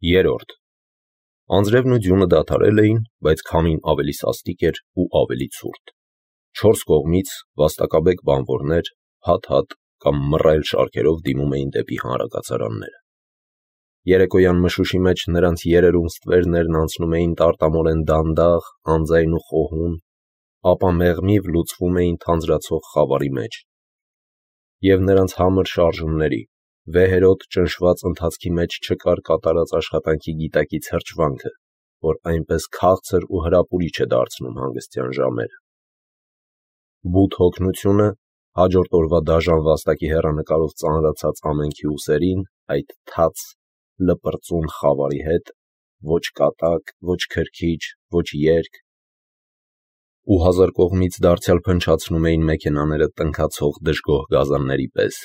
Երրորդ. Անձրևն ու ձյունը դադարել էին, բայց քամին ավելի սաստիկ էր ու ավելի ցուրտ։ 4 կողմից վաստակաբեկ բանվորներ հատ-հատ կամ մռայլ շարքերով դիմում էին դեպի հանրակացարանները։ Երեկոյան մշուշի մեջ նրանց երերուն ստվերներն անցնում էին տարտամորեն դանդաղ, անձայն ու խոհուն, ապա մեղմիվ լուծվում էին թանձրացող խավարի մեջ։ Եվ նրանց համր շարժումների, վեհերոտ ճնշված ընթացքի մեջ չկար կատարած աշխատանքի գիտակից հրճվանքը, որ այնպես քաղցր ու հրապուրիչ է դարձնում հանգստյան ժամերը։ Բութ հոգնությունը հաջորդ օրվա դաժան վաստակի հեռանկարով ծանրացած ամենքի ուսերին այդ թաց, լպրծուն խավարի հետ, ոչ կատակ, ոչ քրքիջ, ոչ երգ, ու հազար կողմից դարձյալ փնչացնում էին մեքենաները տնքացող դժգոհ գազանների պես,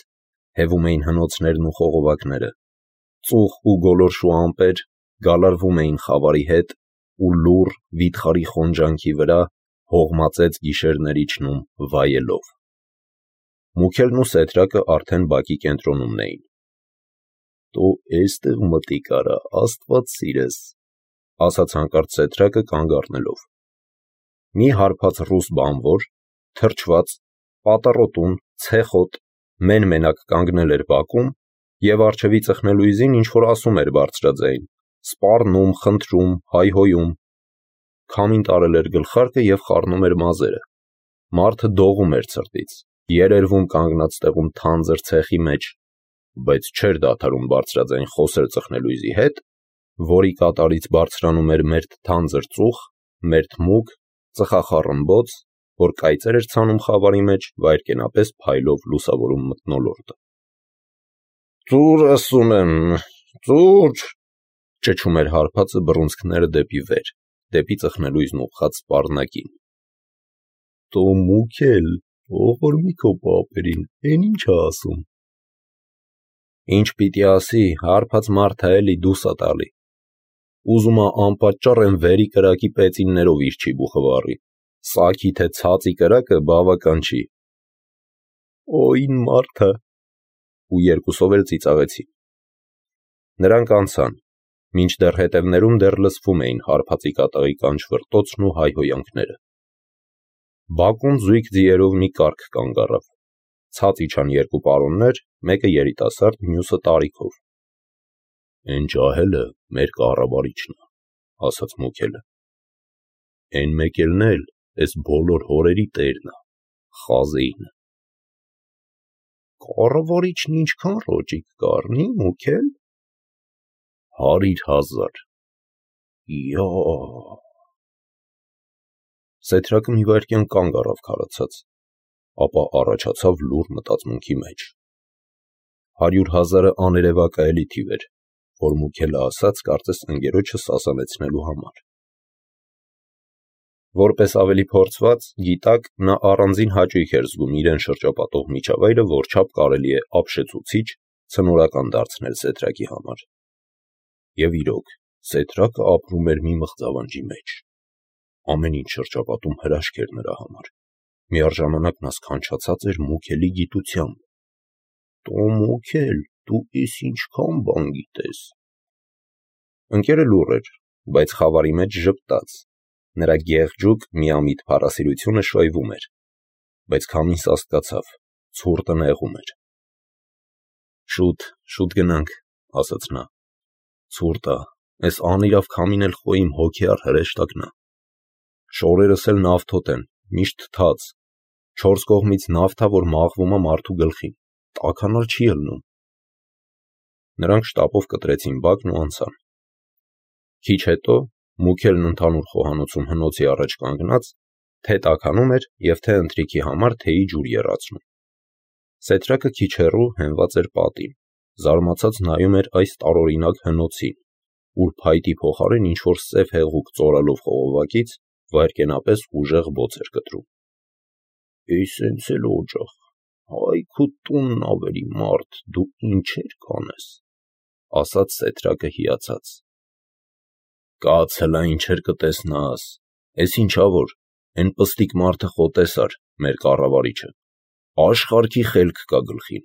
հևում էին հնոցներն ու խողովակները, ծուխ ու գոլորշու ամպեր գալարվում էին խավարի հետ ու լուռ վիթխարի խոնջանքի վրա հողմածեց գիշերներ իջնում վայելով։ Մուքելն ու Սեթրակը արդեն բակի կենտրոնումն էին։ «Տո էստեղ մտի կարա, աստված սիրես», ասաց հանկարծ Սեթրակը կանգ առնելով։ Մի հարբած ռուս բանվոր, թրջված, պատառոտուն, ցեխոտ, մեն-մենակ կանգնել էր բակում և առջևի ծխնելույզին ինչ-որ ասում էր բարձրաձայն, սպառնում, խնդրում, հայհոյում։ Քամին տարել էր գլխարկը և խառնում էր մազերը։ Մարդը դողում էր ցրտից, երերվում կանգնած տեղում թանձր ցեխի մեջ, բայց չէր դադարում բարձրաձայն խոսել ծխնելույզի հետ, որի կատարից բարձրանում էր մերթ թանձր ծուխ, մերթ մուգ, ծխախառմբոց, որ կայծեր էր ցանում խավարի մեջ, վայրկենապես փայլով լուսավորում մթնոլորտը։ «Ծուր ասում եմ, ծուր», ճչում էր հարբածը բռունցքները դեպի վեր, դեպի ծխնելույզն ուղղած սպառնակին։ «Տո Մուքել, ողորմի քո պապերին, էն ինչ ա ասում»։ «Ինչ պիտի ասի, հարբած մարդ ա էլի, դուս ա տալի։ Ուզում ա անպատճառ են վերի կրակի պեծիններով իրջի բուխվառի, սագի թե ցածի կրակը բավական չի»։ «Օ՜յն մարդ ա», ու երկուսով էլ ծիծաղեցին։ Նրանք անցան, մինչդեռ հետևներում դեռ լսվում էին հարբածի կատաղի կանչվրտոցն ու հայհոյանքները։ Բակում զույգ ձիերով մի կառք կանգ առավ։ Ցած իջան երկու պարոններ, մեկը երիտասարդ, մյուսը տարիքով։ «Էն ջահելը մեր կառավարիչն ա», ասաց Մուքելը։ «Էն մեկելն էլ էս բոլոր հորերի տերն ա, Խազեինը»։ «Կառավարիչն ինչքան ռոճիկ կառնի, Մուքել»։ 100,000։ Յա։ Սեթրակը մի վայրկյան կանգ առավ քարացած, ապա առաջացավ լուռ մտածմունքի մեջ։ 100,000-ը աներևակայելի թիվ էր, որ Մուքելը ասաց կարծես ընկերոջը սասանեցնելու համար։ Որպես ավելի փորձված, գիտակ, նա առանձին հաճույք էր զգում իրեն շրջապատող միջավայրը որչափ կարելի է ապշեցուցիչ, ցնորական դարձնել Սեթրակի համար։ Եվ իրոք, Սեթրակը ապրում էր մի մղձավանջի մեջ։ Ամեն ինչ շրջապատում հրաշք էր նրա համար։ Միառժամանակ նա սքանչացած էր Մուքելի գիտությամբ։ «Տո Մուքել, դու էս ինչքան բան գիտես»։ Ընկերը լուռ էր, բայց խավարի մեջ ժպտաց։ Նրա գեղջուկ, միամիտ փառասիրությունը շոյվում էր, բայց քամին սաստկացավ, ցուրտը նեղում էր։ Շուտ գնանք, ասաց նա։ Ցուրտ ա, էս անիրավ քամին էլ խո իմ հոգեառ հրեշտակն ա։ Շորերս էլ նավթոտ են, միշտ թաց, 4 կողմից նավթ ա, որ մաղվում ա մարդու գլխին, տաքանալ չի ելնում։ Նրանք շտապով կտրեցին բակն ու անցան։ Քիչ հետո Մուքելն ընդհանուր խոհանոցում հնոցի առաջ կանգնած, թե տաքանում էր և թե ընթրիքի համար թեյի ջուր եռացնում։ Սեթրակը քիչ հեռու հենված էր պատին, զարմացած նայում էր այս տարօրինակ հնոցին, ուր փայտի փոխարեն ինչ-որ սև հեղուկ ծորալով խողովակից վայրկենապես ուժեղ բոց էր կտրում։ «Էս հենց էլ օջախ, հայ քո տունն ավերի մարդ, դու ինչեր կանես», ասաց Սեթրակը հիացած։ «Կաց հլա ինչեր կտեսնաս, էս ինչ ա որ, էն պստիկ մարդը խո տեսար, մեր կառավարիչը, աշխարհքի խելք կա գլխին,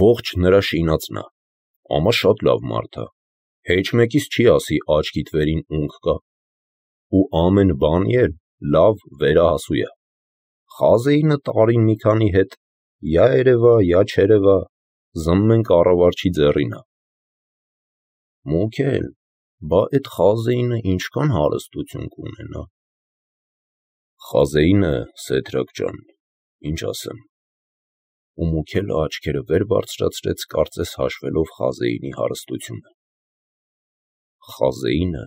ողջ նրա շինածն ա, ամա շատ լավ մարդ ա, Հեչ մեկիս չի ասի աչքիդ վերին ունք կա, ու ամեն բանի էլ լավ վերահասու է։ Խազեինը տարին մի քանի հետ, յա երևա, յա չերևա, զմմեն կառավարչի ձեռին է։ Մուքել, բա էդ խազեինը ինչքան հարստություն կունենա։ Խազեինը, Սեդրակ ջան, ինչ ասեմ։ Ու Մուքելը աչքերը վեր բարձրացրեց, կարծես հաշվելով խազեինի հարստությունը։ Խազեինը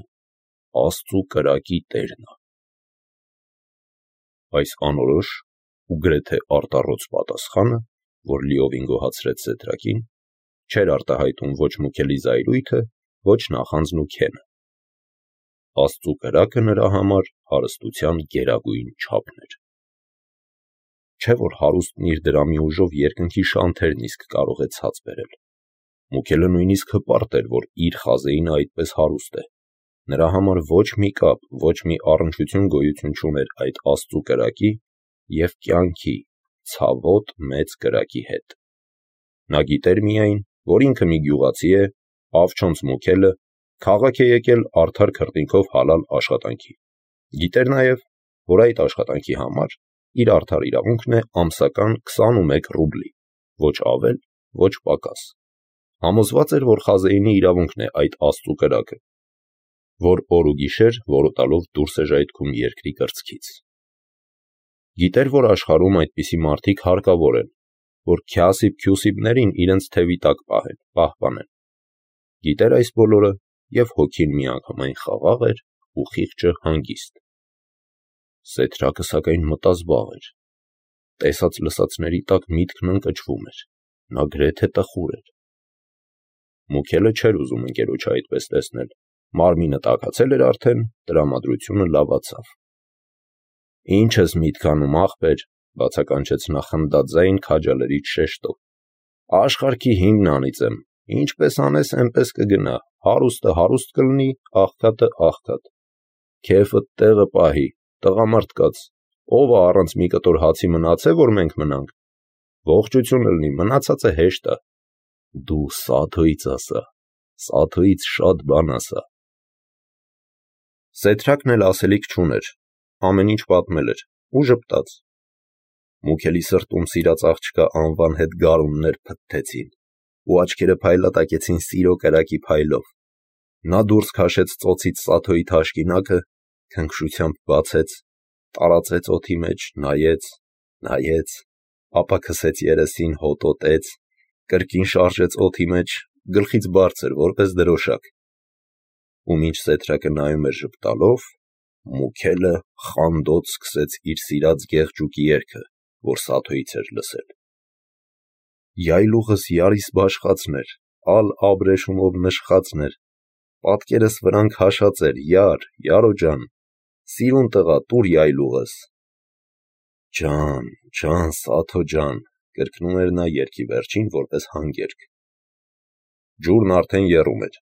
Աստծու կրակի տերն է։ Այս անորոշ ու գրեթե արտառոց պատասխանը, որ լիովին գոհացրեց Սեդրակին, չէր արտահայտում ոչ Մուքելի զայրույթը, ոչ նախանձն ու քենը։ Աստծու կրակը նրա համար հարստության գերագույն չափն էր։ Չէ՞ որ հարուստն իր դրամի ուժով երկնքի շանթերն իսկ կարող է ցած բերել։ Մուքելը նույնիսկ հպարտ էր, որ իր խազեինը այդպես հարուստ է։ Նրա համար ոչ մի կապ, ոչ մի առնչություն գոյություն չուներ այդ Աստծու կրակի և կյանքի ցավոտ մեծ կրակի հետ։ Նա գիտեր միայն, որ ինքը մի գյուղացի է, Ավչոնց Մուքելը, քաղաք է եկել արդար քրտինքով հալալ աշխատանքի։ Գիտեր նաև, որ այդ աշխատանքի համար իր արդար իրավունքն է ամսական 21 ռուբլի, ոչ ավել, ոչ պակաս։ Համոզված էր, որ խազեինի իրավունքն է այդ Աստծու կրակը, որ օր ու գիշեր որոտալով դուրս է ժայթքում երկրի կրծքից։ Գիտեր, որ աշխարհում այդպիսի մարդիկ հարկավոր են, որ քյասիբ-քյուսիբներին իրենց թևի տակ պահպանեն։ Գիտեր այս բոլորը, և հոգին միանգամայն խաղաղ էր ու խիղճը հանգիստ։ Սեդրակը սակայն մտազբաղ էր։ Տեսած-լսածների տակ միտքն ընկճվում էր, նա գրեթե տխուր էր։ Մուքելը չէր ուզում ընկերոջը այդպես տեսնել, մարմինը տաքացել էր արդեն, տրամադրությունը լավացավ։ Ինչ ես միտք անում, ախպեր, բացականչեց նա խնդաձայն քաջալերիչ շեշտով։ Աշխարհքի հիմն անիծեմ, ինչպես անես, էնպես կգնա, հարուստը հարուստ կլինի, աղքատը աղքատ։ Քեֆդ տեղը պահի, տղամարդ կաց, ով է առանց մի կտոր հացի մնացե, որ մենք մնանք։ Ողջություն լինի, մնացածը հեշտ է։ Դու Սաթոից ասա, Սաթոից շատ բան ասա։ Սեդրակն էլ ասելիք չուներ, ամեն ինչ պատմել էր ու ժպտաց։ Մուքելի սրտում սիրած աղջկա անվան հետ գարուններ փթթեցին ու աչքերը փայլատակեցին սիրո կրակի փայլով։ Նա դուրս քաշեց ծոցից Սաթոյի թաշկինակը, քնքշությամբ բացեց, տարածեց օդի մեջ, նայեց, ապա քսեց երեսին, հոտոտեց, կրկին շարժեց օդի մեջ, գլխից բարձր, որպես դրոշակ։ Ու մինչ Սեդրակը նայում էր ժպտալով, Մուքելը խանդոց սկսեց իր սիրած գեղջուկի երգը, որ Սաթոյից էր լսել։ Յայլուղս յարիս բաշխացներ, ալ աբրեշումով նշխացներ, պատկերս վրան քաշած էր, յարո ջան, սիրուն տղա, տուր յայլուղս։ Ջան, Սաթո ջան, կրկնում էր նա երգի վերջին որպես հանգերգ։ Ջուրն արդեն եռում էր,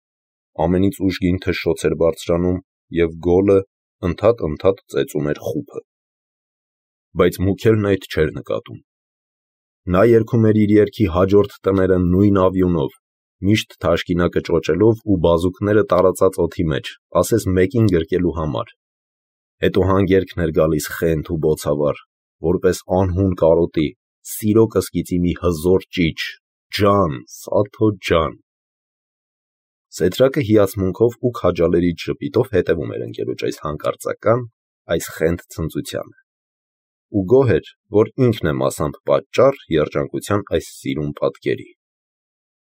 ամենից ուժգին թշշոց էր բարձրանում և գոլը ընդհատ ծեծում էր խուփը։ Բայց Մուքելն այդ չէր նկատում։ Նա երգում էր իր երգի հաջորդ տները նույն ավյունով, միշտ թաշկինակը ճոճելով ու բազուկները տարածած օդի մեջ, ասես մեկին գրկելու համար։ Հետո հանգերգն էր գալիս խենթ ու բոցավառ, որպես անհուն կարոտի, սիրո կսկիծի մի հզոր ճիչ, ջան, Սաթո ջան։ Սեդրակը հիացմունքով ու քաջալերիչ ժպիտով հետևում էր ընկերոջ այս հանկարծական, այս խենթ ցնծությանը։ Ու գոհ էր, որ ինքն է մասամբ պատճառ երջանկության այս սիրուն պատկերի։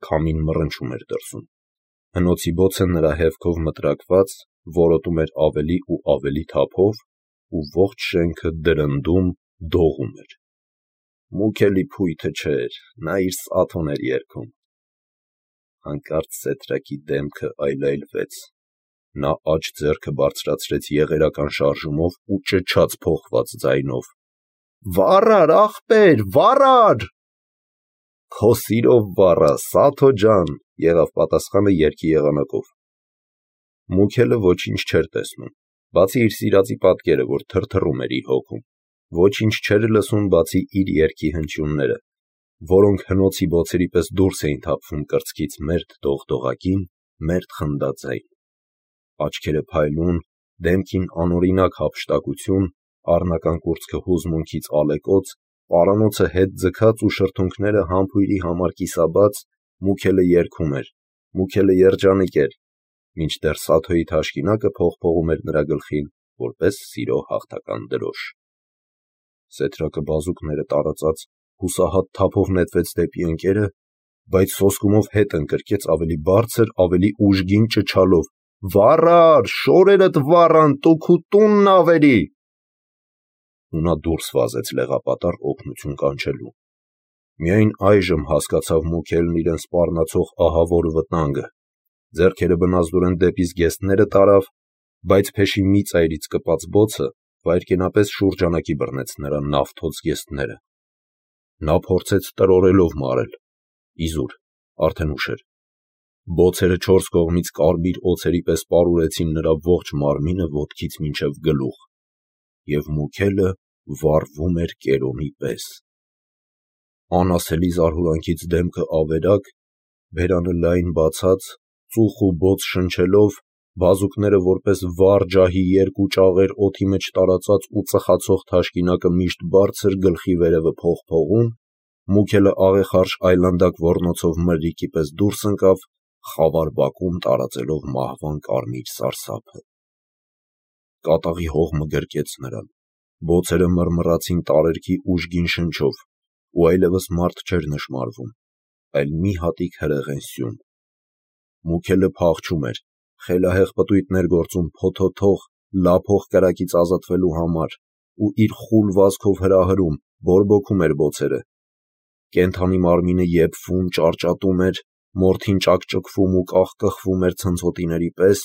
Քամին մռնչում էր դրսում։ Հնոցի բոցը նրա հեվքով մտրակված որոտում էր ավելի ու ավելի թափով, ու ողջ շենքը դրնդում, դողում էր։ Մուքելի փույթը չէր, նա իր Սաթոն էր երգում։ Հանկարծ Սեդրակի դեմքը այլայլվեց։ Նա աջ ձեռքը բարձրացրեց եղերական շարժումով ու ճչաց փոխված ձայնով. «Վառար, ախպեր, վառար»։ «Քո սիրով վառա, Սաթո ջան», եղավ պատասխանը երգի եղանակով։ Մուքելը ոչինչ չէր տեսնում, բացի իր սիրածի պատկերը, որ թրթռում էր իր հոգում, ոչինչ չէր լսում, բացի իր երգի հնչյունները, որոնք հնոցի բոցերի պես դուրս էին թափվում կրծքից մերթ դողդողակին, մերթ խնդաձայն, աչքերը փայլուն, դեմքին անօրինակ հափշտակություն, առնական կուրծքը հուզմունքից ալեկոծ, պարանոցը հետ ձգած ու շրթունքները համբույրի համար կիսաբաց, Մուքելը երգում էր, Մուքելը երջանիկ էր, մինչդեռ Սաթոյի թաշկինակը փողփողում էր նրա գլխին, որպես սիրո հաղթական դրոշ։ Սեթրակը բազուկները տարածած հուսահատ թափով նետվեց դեպի ընկերը, բայց սոսկումով հետ ընկրկեց ավելի բարձր, ավելի ուժգին ճչալով. «Վառար, շորերդ վառան, տուք ու տունն ավերի»։ Ու նա դուրս վազեց լեղապատառ օգնություն կանչելու։ Միայն այժմ հասկացավ Մուքելն իրեն սպառնացող ահավոր վտանգը, ձեռքերը բնազդորեն դեպի զգեստները տարավ, բայց փեշի մի ծայրից կպած բոցը վայրկենապես շուրջանակի բռնեց նրա նավթոտ զգեստները։ Նա փորձեց տրորելով մարել, իզուր, արդեն ուշ էր։ Բոցերը չորս կողմից կարմիր օձերի պես պարուրեցին նրա ողջ մարմինը ոտքից մինչև գլուխ, և Մուքելը վառվում էր կերոմի պես։ Անասելի զարհուրանքից դեմքը ավերակ, բերանը լայն բացած, ծուխ ու բոց շնչելով, բազուկները որպես վառ ջահի երկու ճաղեր օդի մեջ տարածած ու ծխացող թաշկինակը միշտ բարձր գլխի վերևը փողփողում, Մուքելը աղեխարշ այլանդակ ոռնոցով մրրիկի պես դուրս ընկավ, խավար բակում տարածելով մահվան կարմիր սարսափը։ Կատաղի հողմը գրկեց նրան, բոցերը մռմռացին տարերքի ուժգին շնչով, ու այլևս մարդ չէր նշմարվում, այլ մի հատիկ հրեղեն սյուն։ Մուքելը փախչում էր, խելահեղ պտույտներ գործում փոթոթող, լափող կրակից ազատվելու համար, ու իր խուլ վազքով հրահրում, բորբոքում էր բոցերը։ Կենդանի մարմինը եփվում, ճարճատում էր, մորթին ճակճկվում ու կախկխվում էր ցնցոտիների պես,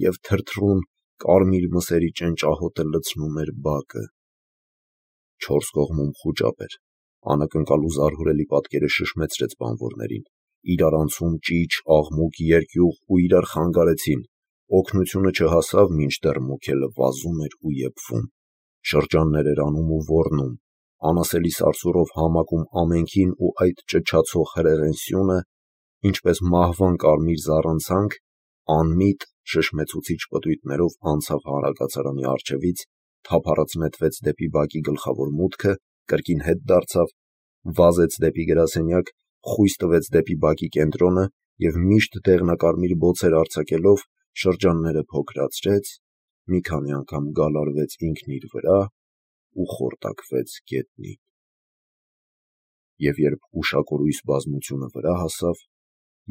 և թրթռուն, կարմիր մսերի ճենճահոտը լցնում էր բակը։ Չորս կողմում խուճապ էր, անակնկալ ու զարհուրելի պատկերը շշմեցրեց բանվորներին, իրար անցում ճիչ, աղմուկ, երկյուղ ու իրար խանգարեցին, օգնությունը չհասավ, մինչդեռ Մուքելը վազում էր ու եփվում, շրջաններ էր անում ու ոռնում, անասելի սարսուռով համակում ամենքին ու այդ ճչացող հրեղեն սյունը, ինչպես մահվան կարմիր զառանցանք, անմիտ, շշմեցուցիչ պտույտներով անցավ հանրակացարանի առջևից, թափառած նետվեց դեպի բակի գլխավոր մուտքը, կրկին հետ դարձավ, վազեց դեպի գրասենյակ, խույս տվեց դեպի բակի կենտրոնը և միշտ դեղնակարմիր բոցեր արձակելով շրջանները փոքրացրեց, մի քանի անգամ գալարվեց ինքն իր վրա ու խորտակվեց գետնին։ Եվ երբ ուշակորույս բազմությունը վրա հասավ,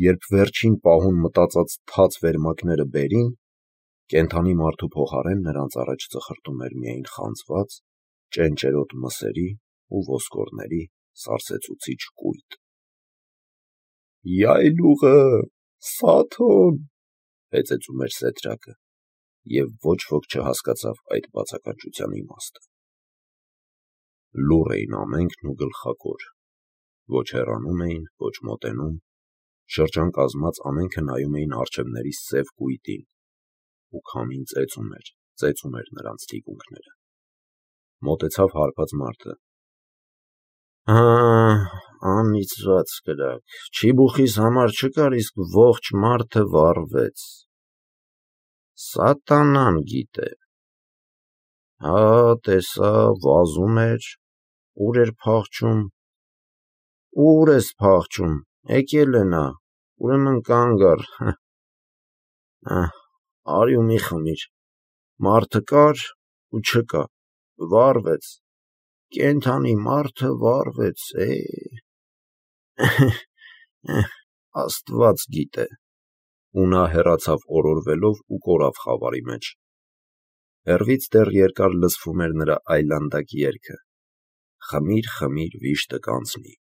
երբ վերջին պահուն մտածած թաց վերմակները բերին, կենդանի մարդու փոխարեն նրանց առաջ ծխրտում էր միայն խանձված, ճենճերոտ մսերի ու ոսկորների սարսեցուցիչ կույտ։ «Յայլուղը, Սաթոն», հեծեծում էր Սեթրակը, և ոչ ոք չհասկացավ այդ բացականչության իմաստը։ Լուռ էին ամենքն ու գլխակոր, ոչ հեռանում էին, ոչ մոտենում, շրջան կազմած ամենքը նայում էին առջևների սև կույտին, ու քամին ծեծում էր նրանց թիկունքները։ Մոտեցավ հարբած մարդը։ Անիծված կրակ, չիբուխիս համար չկար, իսկ ողջ մարդը վառվեց։ Սատանան գիտե։ Հա, տեսա, վազում էր, ուր էր փախչում։ Ուր ես փախչում, եկել է նա, ուրեմն կանգ առ։ Արի ու մի խմիր։ Մարդը կար ու չկա, վառվեց, կենդանի մարդը վառվեց, Աստված գիտե։ Ու նա հեռացավ օրորվելով ու կորավ խավարի մեջ։ Հեռվից դեռ երկար լսվում էր նրա այլանդակ երգը. «Խմիր, խմիր, վիշտը կանցնի»։